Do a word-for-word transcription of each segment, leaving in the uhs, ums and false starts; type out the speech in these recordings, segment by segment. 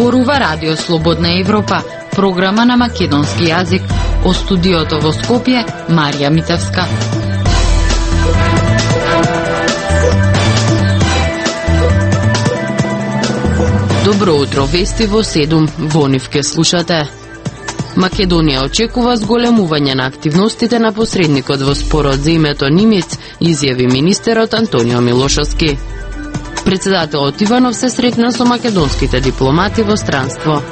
Зборува Радио Слободна Европа, програма на македонски јазик. Од студиото во Скопје, Марија Митевска. Добро утро, вести во седум, во нив ке слушате. Македонија очекува зголемување на активностите на посредникот во спорот за името Нимиц, изјави министерот Антонио Милошовски. Председателот Иванов се сретна со македонските дипломати во странство.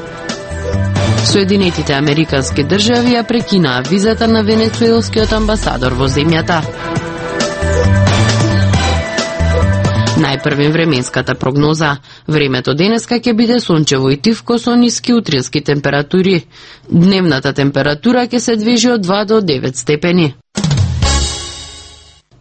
Соединетите Американски држави ја прекинаа визата на венецуелскиот амбасадор во земјата. Најпрвен временската прогноза. Времето денеска ќе биде сончево и тивко со ниски утрински температури. Дневната температура ќе се движи од два до девет степени.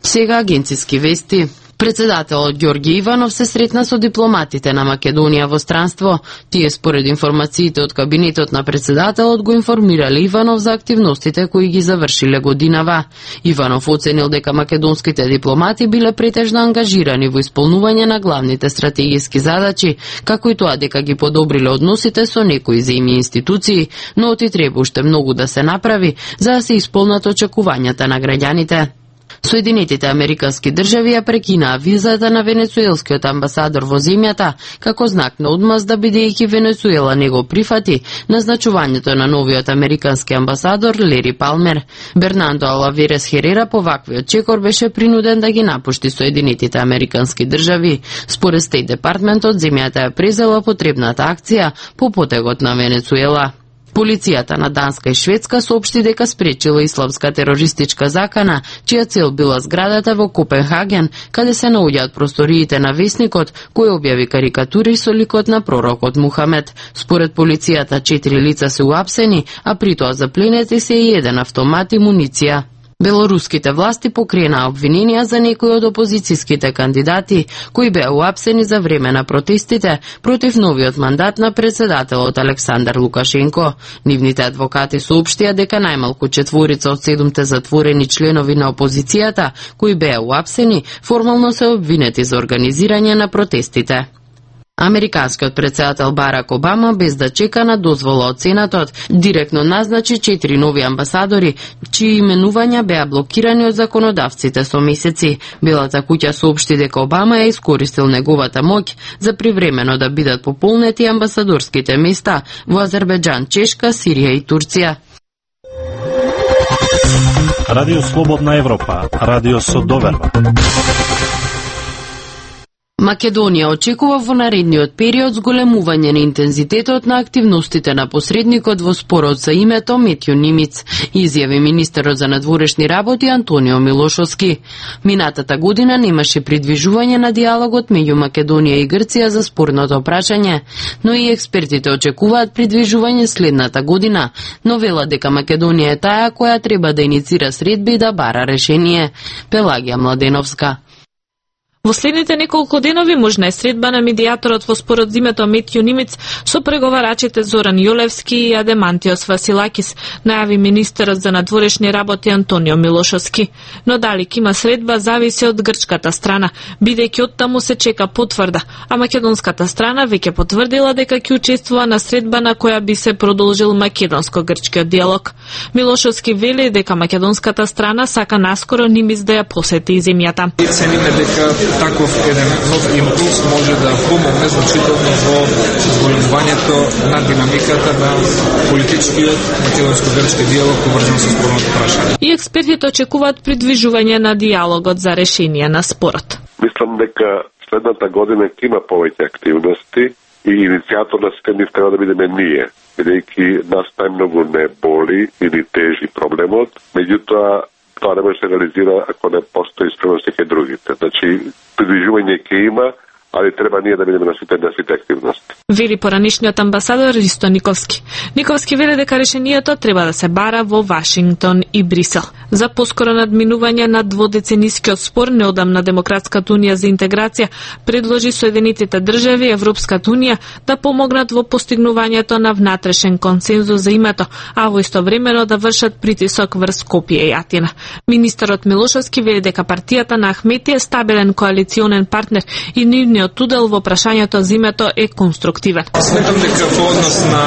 Сега агенциски вести. Председателот Ѓорѓе Иванов се сретна со дипломатите на Македонија во странство. Тие според информациите од кабинетот на председателот го информирале Иванов за активностите кои ги завршиле годинава. Иванов оценил дека македонските дипломати биле претежно ангажирани во исполнување на главните стратегиски задачи, како и тоа дека ги подобриле односите со некои земји институции, но оти треба уште многу да се направи за да се исполнат очекувањата на граѓаните. Соединетите Американски држави ја прекинаа визата на венецуелскиот амбасадор во земјата, како знак на одмазда бидејќи Венецуела не го прифати назначувањето на новиот американски амбасадор Лери Палмер. Бернандо Алаверес Херера по ваквиот чекор беше принуден да ги напушти Соединетите Американски држави. Според Стейт Департментот, земјата ја презела потребната акција по потегот на Венецуела. Полицијата на Данска и Шведска соопшти дека спречила исламска терористичка закана, чија цел била зградата во Копенхаген, каде се наоѓаат просториите на весникот, кој објави карикатури со ликот на пророкот Мухамед. Според полицијата, четири лица се уапсени, а при тоа запленети се и еден автомат и муниција. Белоруските власти покренаа обвиненија за некои од опозицијските кандидати, кои беа уапсени за време на протестите против новиот мандат на председателот Александар Лукашенко. Нивните адвокати соопштија дека најмалку четворица од седумте затворени членови на опозицијата, кои беа уапсени, формално се обвинети за организирање на протестите. Американскиот председател Барак Обама, без да чека на дозвола од Сенатот, директно назначи четири нови амбасадори, чии именувања беа блокирани од законодавците со месеци. Белата куќа соопшти дека Обама ја искористил неговата моќ за привремено да бидат пополнети амбасадорските места во Азербејџан, Чешка, Сирија и Турција. Радио Слободна Европа, радио со доверба. Македонија очекува во наредниот период зголемување на интензитетот на активностите на посредникот во спорот за името Метју Нимиц, изјави министерот за надворешни работи Антонио Милошовски. Минатата година немаше придвижување на диалогот меѓу Македонија и Грција за спорното прашање, но и експертите очекуваат придвижување следната година, но велат дека Македонија е таа која треба да иницира средби и да бара решение. Пелагија Младеновска. Во следните неколку денови можна е средба на медијаторот во спорот за името Метју Нимиц со преговарачите Зоран Јолевски и Адемантиос Василакис, најави министерот за надворешни работи Антонио Милошовски. Но дали ќе има средба зависи од грчката страна, бидејќи од таму се чека потврда, а македонската страна веќе потврдила дека ќе учествува на средба на која би се продолжил македонско-грчкиот диалог. Милошовски вели дека македонската страна сака наскоро Нимиц да ја посети земјата. Цениме дека таков еден нов импулс може да помогне значително во зголемувањето на динамиката на политичкиот македонско-грчки диалог поврзан со спорното прашање. И експертите очекуваат придвижување на диалогот за решение на спорот. Мислам дека следната година ќе има повеќе активности и иницијатор на сите нив треба да бидеме ние, бидејќи нас најмногу не боли или тежи проблемот, меѓутоа тоа не може да се реализира ако не постои спремност кај другите. Значи, придвижување ќе има, али треба ние да бидеме на сите, на сите активности. Вели поранишниот амбасадор Ристо Никовски. Никовски вели дека решението треба да се бара во Вашингтон и Брисел. За поскоро надминување на дводеценискиот спор, неодамна Демократската унија за интеграција предложи Соединетите држави и Европската унија да помогнат во постигнувањето на внатрешен консензус за името, а во истовремено да вршат притисок врз Скопје и Атина. Министерот Милошовски вели дека партијата на Ахмети е стабилен коалиционен партнер и нивниот нивниот удел во прашањето за името е конструктивен. Сметам дека по однос на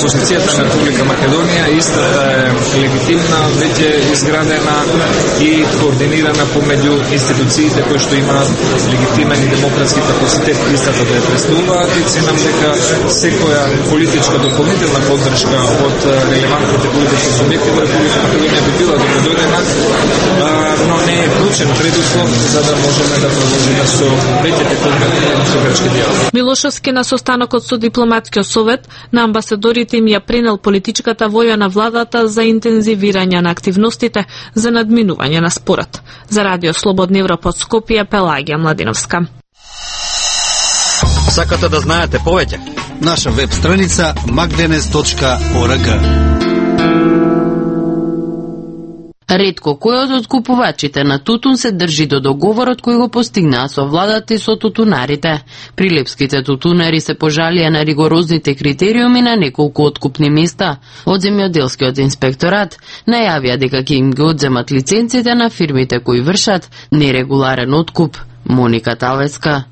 позицијата на Република Македонија истата е легитимна, веќе изградена и координирана помеѓу институциите кои што имаат легитимен и демократски капацитет истата да ја представуваат и ценам дека секоја политичка дополнителна поддршка од релевантните политички субјекти во Република Македонија би била добродојдена, но не е клучен предуслов за да можеме да продолжиме со веќе текувани со грчки диалог. Милошовски на состанокот со дипломатскиот совет на амбасадорите им ја пренел политичката воља на владата за интензивирање на активностите за надминување на спорот. За Радио Слободна Европа од Скопје, Пелагија Младиновска. Сакате да знаете повеќе? Наша веб страница magdenes точка org. Ретко кој од откупувачите на тутун се држи до договорот кој го постигнаа со владата и со тутунарите. Прилепските тутунари се пожалија на ригорозните критериуми на неколку откупни места. Од земјоделскиот инспекторат најавија дека ќе им ги одземат лиценците на фирмите кои вршат нерегуларен откуп. Моника Талеска.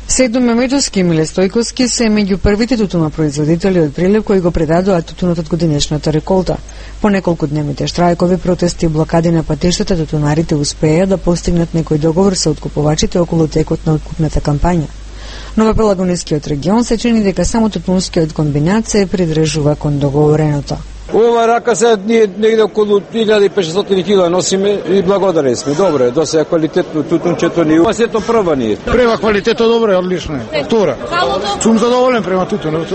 Седо Мемедовски и Миле Стојковски се меѓу првите тутунопроизводители од Прилеп кои го предадоа тутунот од годинешната реколта. По неколку дневните штрајкови, протести и блокади на патиштата, тутунарите успеа да постигнат некој договор со откупувачите околу текот на откупната кампања. Но во Пелагонискиот регион се чини дека само тутунскиот комбинат се придржува кон договореното. Ова рака се ние негде околу илјада и петстотини кила носиме и благодарни сме. Добро е, досега квалитетно тутунчето ни. Ова сето прва ни е. Према квалитето добро е, одлично е. Втора. Сум задоволен према тутунот.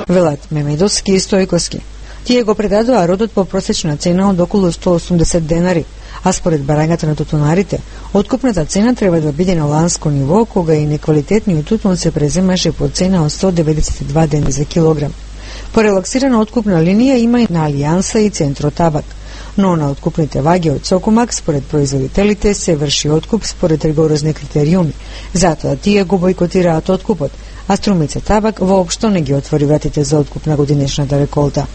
Велат Мемедовски и Стојковски. Тие го предадоа родот по просечна цена од околу сто и осумдесет денари, а според барањата на тутунарите, откупната цена треба да биде на ланско ниво, кога и неквалитетниот тутун се преземаше по цена од сто деветдесет и два денари за килограм. По релаксирана откупна линија има и на Алијанса и Центро Табак, но на откупните ваги од Сокомак според производителите се врши откуп според ригорозни критериуми, затоа тие го бойкотираат откупот, а Струмица Табак воопшто не ги отвори вратите за откуп на годинешната реколта.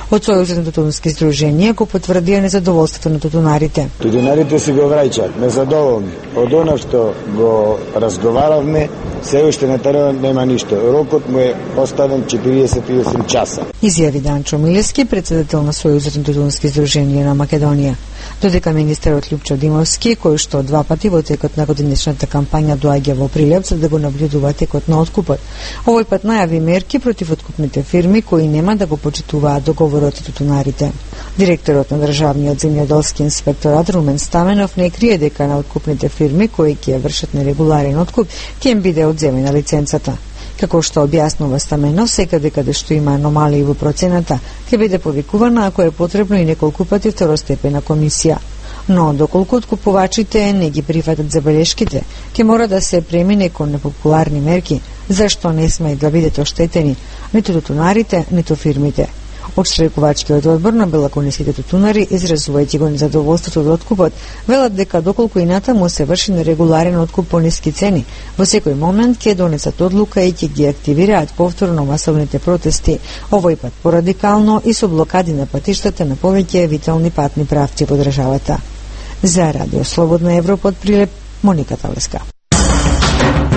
Од Сојузот на тутунски здруженија го потврдија незадоволството на тутунарите. Тутунарите си го враќаат, незадоволни. Од она што го разговаравме, се уште на теренот нема ништо. Рокот му е оставен четириесет и осум часа. Изјави Данчо Милески, председател на Сојузот на тутунски здруженија на Македонија. Додека министерот Љупчо Димовски, кој што два пати во текот на годинешната кампања доаѓа во Прилеп за да го наблюдува текот на откупот, овој пат најави мерки против откупните фирми кои нема да го почитуваат договорот и тутунарите. Директорот на Државниот земјоделски инспекторат Румен Стаменов не крие дека на откупните фирми кои ќе вршат нерегуларен откуп ќе им биде одземена лиценцата. Како што објаснува Стаменов, секаде каде што има аномалии во процената, ќе биде повикувана ако е потребно и неколку пати второстепена комисија. Но доколку откупувачите не ги прифатат забелешките, ќе мора да се премине кон непопуларни мерки, зашто не сме да бидат оштетени ниту тутунарите, ниту фирмите. Од штрајкувачкиот одбор на белакониските тутунари, изразувајќи го незадоволството од откупот, велат дека доколку и натаму се врши нерегуларен откуп по ниски цени, во секој момент ќе донесат одлука и ќе ги активираат повторно масовните протести, овој пат порадикално и со блокади на патиштата на повеќе витални патни правци во државата. За Радио Слободна Европа од Прилеп, Моника Талеска.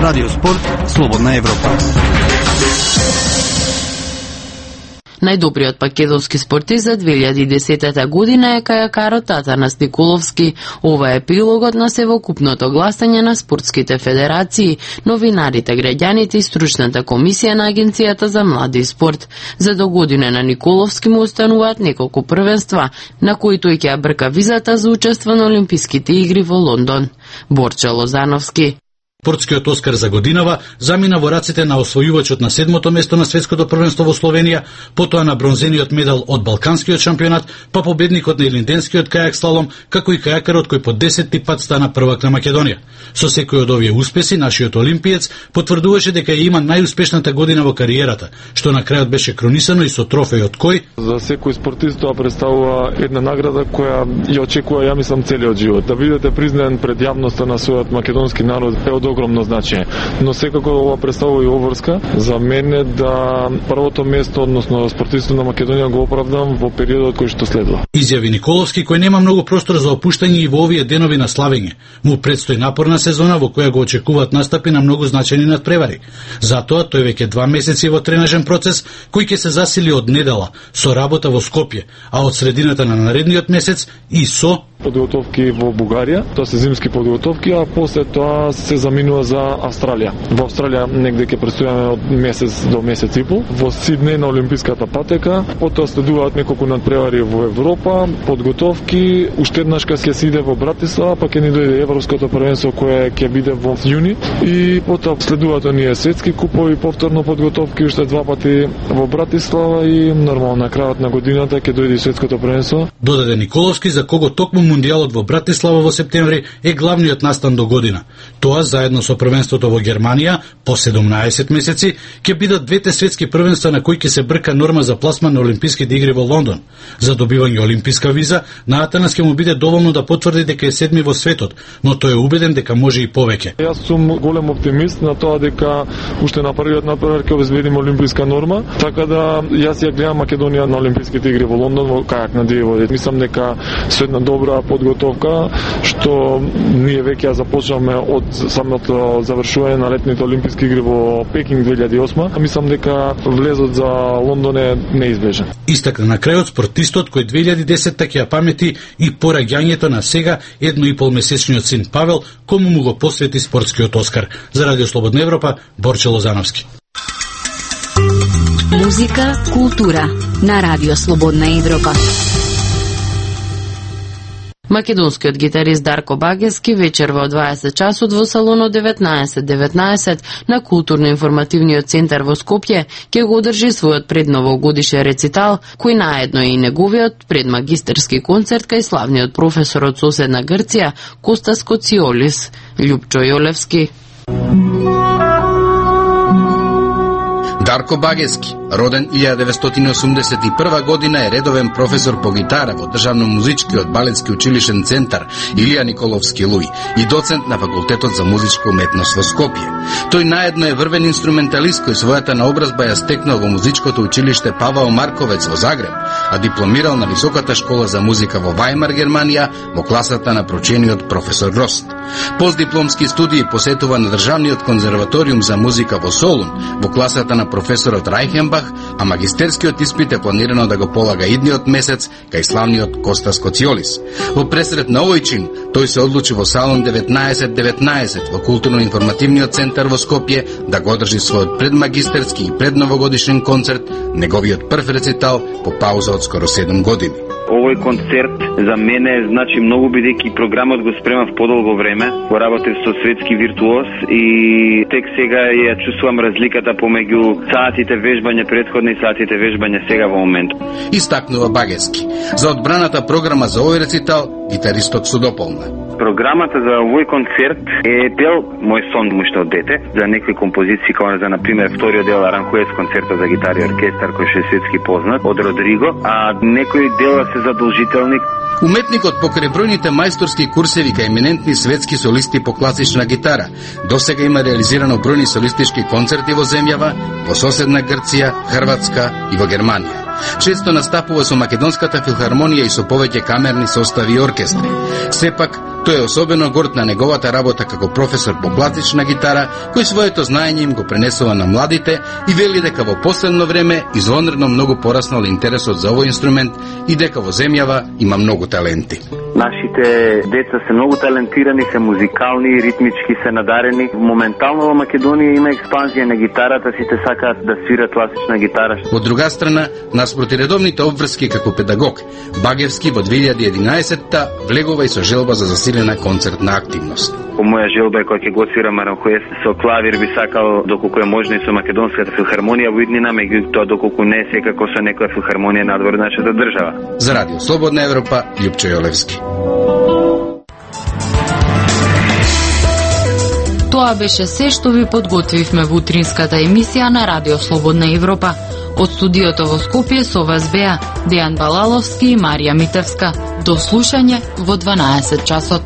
Радио Спорт, Слободна Европа. Најдобриот македонски спортист за две илјади и десета година е кајакарот Атанас Николовски. Ова е епилогот на севокупното гласање на спортските федерации, новинарите, граѓаните и стручната комисија на Агенцијата за млади и спорт. За до година на Николовски му остануваат неколку првенства, на кои тој ќе брка визата за учество на Олимписките игри во Лондон. Борче Лозановски. Спортскиот Оскар за годинава замина во раците на освојувачот на седмото место на светското првенство во Словенија, потоа на бронзениот медал од Балканскиот шампионат, па победникот на Илинденскиот кајак слалом, како и кајакарот кој по десетти пат стана првак на Македонија. Со секој од овие успеси, нашиот олимпиец потврдуваше дека ја има најуспешната година во кариерата, што на крајот беше кронисано и со трофејот кој за секој спортист тоа представува една награда која ја очекува, ја мислам, целиот живот. Да бидете признаен пред јавноста на својот македонски народ е од огромно значење. Но секако ова представува и обврска за мене да првото место, односно спортистот на Македонија го оправдам во периодот кој што следува. Изјави Николовски, кој нема многу простор за опуштање и во овие денови на славење. Му предстои напорна сезона во која го очекуваат настапи на многу значајни надпревари. Затоа тој веќе два месеци во тренажен процес кој ќе се засили од недела со работа во Скопје, а од средината на наредниот месец и со подготовки во Бугарија, тоа се зимски подготовки, а после тоа се заминува за Австралија. Во Австралија негде ќе престојаме од месец до месец и пол. Во Сиднеј на олимписката патека, потоа следуваат неколку надпревари во Европа, подготовки, уште еднаш ќе се иде во Братислава, па ќе ни дојде европското првенство кое ќе биде во јуни и потоа следуваат оние светски купови, повторно подготовки уште два пати во Братислава и нормално на крајот на годината ќе дојде и светското првенство. Додаде Николовски, за кого токму Мундијалот во Братислава во септември е главниот настан до година. Тоа заедно со првенството во Германија по седумнаесет месеци ќе бидат двете светски првенства на кои ќе се брка норма за пласман на Олимписките игри во Лондон. За добивање олимписка виза на Атанас ќе му биде доволно да потврди дека е седми во светот, но тој е убеден дека може и повеќе. Јас сум голем оптимист на тоа дека уште на првиот надпревар ќе обезбедиме олимписка норма, така да јас ја гледам Македонија на Олимписките игри во Лондон во кајак на дивови. Мислам дека со една добра подготовка што ние веќе ја започнавме од самото завршување на летните олимписки игри во Пекинг две илјади и осма, мислам дека влезот за Лондон е неизбежен. Истакна на крајот спортистот кој две илјади и десетта ќе ја памети и пораѓањето на сега едно и пол месечниот син Павел, кому му го посвети спортскиот Оскар. За Радио Слободна Европа, Борче Лозановски. Музика, култура на Радио Слободна Европа. Македонскиот гитарист Дарко Багески вечер во дваесет часот во салонот деветнаесет деветнаесет на културно-информативниот центар во Скопје ќе го одржи својот предновогодишен рецитал, кој наедно и неговиот предмагистерски концерт кај славниот професор од соседна Грција Костас Коциолис. Љупчо Јолевски. Дарко Багески, роден илјада деветстотини осумдесет и прва година, е редовен професор по гитара во Државно-музичкиот балетски училишен центар Илија Николовски Луј и доцент на факултетот за музичка уметност во Скопје. Тој наедно е врвен инструменталист кој својата наобразба ја стекнал во музичкото училиште Павел Марковец во Загреб, а дипломирал на Високата школа за музика во Вајмар, Германија, во класата на прочениот професор Рост. Постдипломски студии посетува на Државниот конзерваториум за музика во Солун, во класата на професорот Рајхенбах, а магистерскиот испит е планирано да го полага идниот месец кај славниот Костас Коциолис. Во пресрет на овој чин, тој се одлучи во салон деветнаесет деветнаесет во културно-информативниот центар во Скопје да го одржи својот предмагистерски и предновогодишен концерт, неговиот прв рецитал по пауза од скоро седум години. Овој концерт за мене значи многу, бидејќи програмот го спремав подолго време, го работев со светски виртуоз и тек сега ја чувствувам разликата помеѓу саатите вежбање претходни и саатите вежбање сега во моментот. Истакнува Багески. За одбраната програма за овој рецитал гитаристот се дополна. Програмата за овој концерт е дел мој сон уште од дете, за некои композиции, како за например вториот дел Аранхуес концерта за гитара и оркестар кој ше светски познат од Родриго, а некои дела се задолжителни. Уметникот покрај бројните мајсторски курсеви кај еминентни светски солисти по класична гитара, досега има реализирано бројни солистички концерти во земјава, во соседна Грција, Хрватска и во Германија. Често настапува со Македонската филхармонија и со повеќе камерни состави и оркестри. Сепак, тој е особено горд на неговата работа како професор по класична гитара, кој своето знаење им го пренесува на младите и вели дека во последно време извонредно многу пораснал интересот за овој инструмент и дека во земјава има многу таленти. Нашите деца се многу талентирани, се музикални, ритмички се надарени. Моментално во Македонија има експанзија на гитарата, сите сакаат да свират класична гитара. Од друга страна, наспроти редовните обврски како педагог, Багевски во две илјади и единаесетта влегува и со желба за засилена концертна активност. По моја желба е кој ќе го свирам Аранхуес со клавир, би сакал доколку е можно и со Македонската филхармонија во иднина, меѓутоа доколку не секако со некоја филхармонија надвор од нашата држава. За Радио Слободна Европа, Љупчо Јолевски. Тоа беше се што ви подготвивме во утринската емисија на Радио Слободна Европа. Од студиото во Скопје со вас беа Дејан Балаловски и Марија Митевска. До слушање во дванаесет часот.